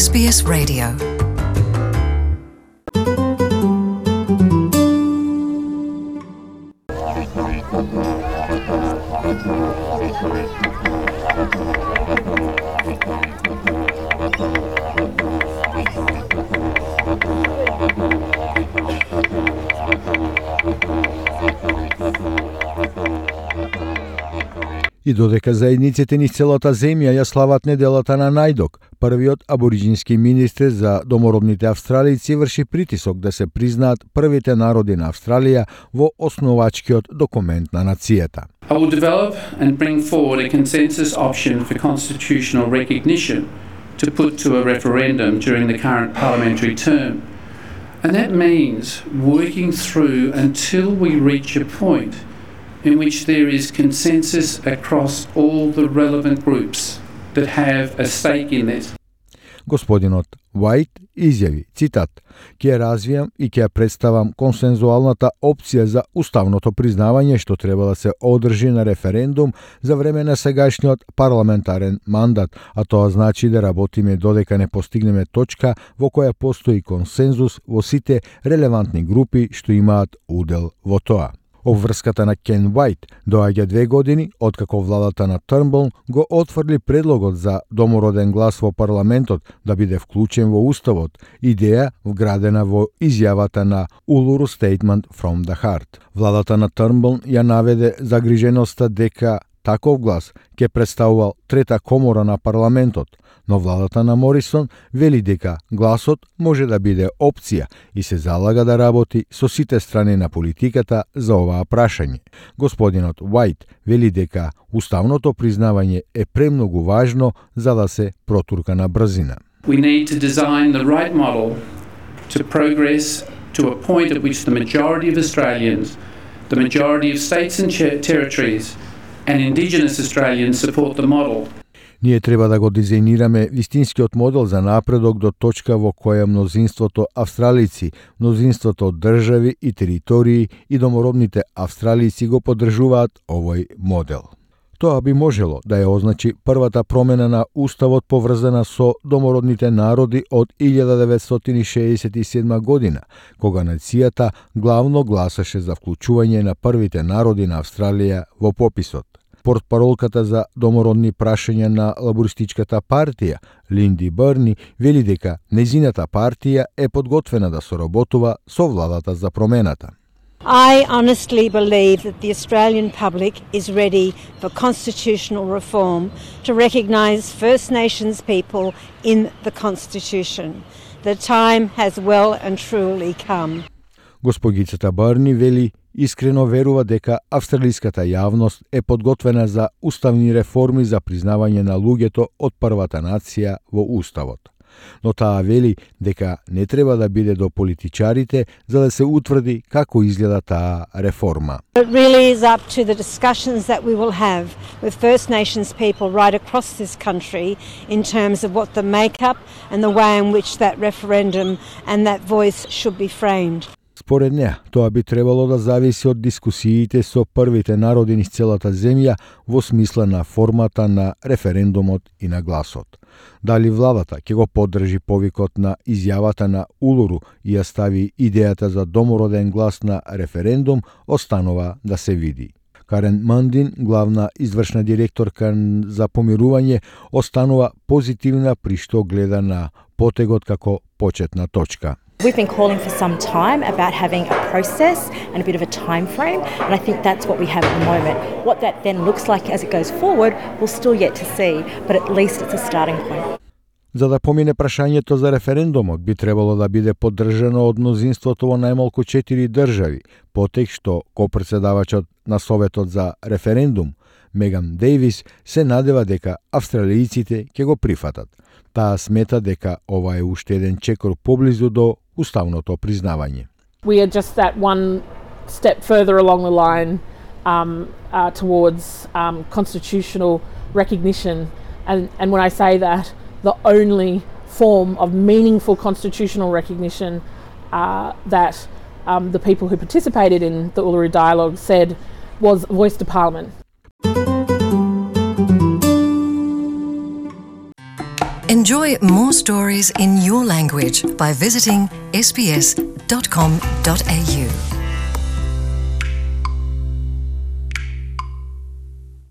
SBS Radio. И додека заедниците низ целата земја ја слават неделата на Најдок, првиот абориџински министер за домородните австралијци врши притисок да се признаат првите народи на Австралија во основачкиот документ на нацијата. I will develop and bring forward a consensus option for constitutional recognition to put to a referendum during the current parliamentary term. And that means working through until we reach a point in which there is consensus across all the relevant groups that have a stake in this. Господинот Уајт изјави, цитат, ќе развијам и ќе представам консензуалната опција за уставното признавање што треба да се одржи на референдум за време на сегашниот парламентарен мандат, а тоа значи да работиме додека не постигнеме точка во која постои консензус во сите релевантни групи што имаат удел во тоа. Обврската на Кен Уајт доаѓа 2 години откако владата на Трнбул го отфрли предлогот за домороден глас во парламентот да биде вклучен во уставот, идеја вградена во изјавата на Uluru Statement from the Heart. Владата на Трнбул ја наведе загриженоста дека таков глас ќе представувал трета комора на парламентот, но владата на Морисон вели дека гласот може да биде опција и се залага да работи со сите страни на политиката за оваа прашање. Господинот Уајт вели дека уставното признавање е премногу важно за да се протурка на брзина. We need to design the right model to progress to a point at which the majority of Australians, the majority of states and territories and Indigenous Australians support the model. Ние треба да го дизајнираме вистинскиот модел за напредок до точка во која мнозинството австралици, мнозинството држави и територии и домородните австралици го поддржуваат овој модел. Тоа би можело да ја означи првата промена на уставот поврзана со домородните народи од 1967 година, кога нацијата главно гласаше за вклучување на првите народи на Австралија во пописот. Портпаролката за домородни прашања на лабористичката партија, Линди Бърни, вели дека нејзината партија е подготвена да соработува со владата за промената. I honestly believe that the Australian public is ready for constitutional reform to recognise First Nations people in the Constitution. The time has well and truly come. Госпогицата Бърни вели искрено верува дека австралиската јавност е подготвена за уставни реформи за признавање на луѓето од првата нација во уставот. Но таа вели дека не треба да биде до политичарите за да се утврди како изгледа таа реформа. It really is up to the discussions that we will have with First Nations people right across this country in terms of what the makeup and the way in which that referendum and that voice should be framed. Според неа, тоа би требало да зависи од дискусиите со првите народи низ целата земја во смисла на формата на референдумот и на гласот. Дали владата ќе го поддржи повикот на изјавата на Улуру и ја стави идејата за домороден глас на референдум, останува да се види. Карен Мандин, главна извршна директорка за помирување, останува позитивна при што гледа на потегот како почетна точка. We've been calling for some time about having a process and a bit of a time frame, and I think that's what we have at the moment. What that then looks like as it goes forward, we'll still yet to see, but at least it's a starting point. За да помине прашањето за референдумот, би требало да биде поддржано од мнозинството во најмалку 4 држави, потек што копредседавачот на Советот за референдум, Меган Дейвис, се надева дека австралијците ќе го прифатат. Таа смета дека ова е уште еден чекор поблизу до уставното признавање. We are just that one step further along the line towards constitutional recognition, and when I say that, the only form of meaningful constitutional recognition that the people who participated in the Uluru Dialogue said was voice to Parliament. Enjoy more stories in your language by visiting sbs.com.au.